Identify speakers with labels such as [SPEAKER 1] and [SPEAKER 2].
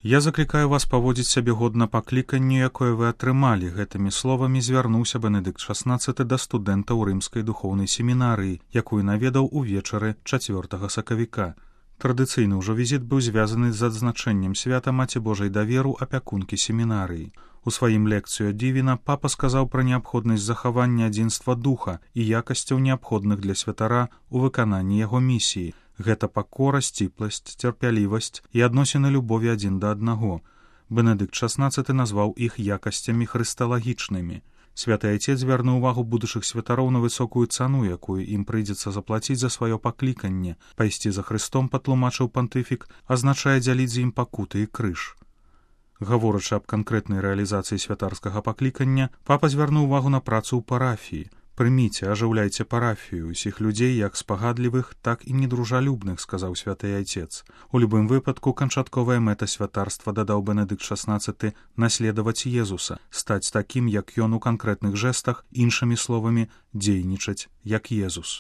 [SPEAKER 1] Я заклікаю вас паводзіць сябе годна пакліканню, якое вы атрымалі. Гэтымі словамі звярнуўся Бенедыкт XVI да студэнтаў рымскай духоўнай семінарыі, якую наведаў увечары 4 сакавіка. Традыцыйны ўжо візіт быў звязаны з адзначэннем свята Маці Божай даверу апякункі семінарыі. У сваім лекцыю Дівіна папа сказаў пра неабходнасць захавання адзінства духа і якасцяў, неабходных для святара ў выкананні яго місіі. Гэта пакора, сціпласць, цярпялівасць і адносіны любові адзін да аднаго. Бенедыкт XVI назваў іх якасцямі хрысталагічнымі. Святы Айцец звярнуў увагу будучых святароў на высокую цану, якую ім прыйдзецца заплаціць за сваё пакліканне. Пайсці за Хрыстом, патлумачыў пантыфік, азначае дзяліць з ім пакуты і крыж. Гаворачы аб канкрэтнай рэалізацыі святарскага паклікання, папа звярнуў увагу на працу ў парафіі. «Прыміце, ажыўляйце парафію, усіх людзей, як спагадлівых, так і недружалюбных», — сказаў святы Айцец. У любым выпадку, канчатковая мэта святарства, дадаў Бенедыкт XVI, наследаваць Езуса, стаць такім, як ён у канкрэтных жэстах, іншымі словамі, дзейнічаць, як Езус.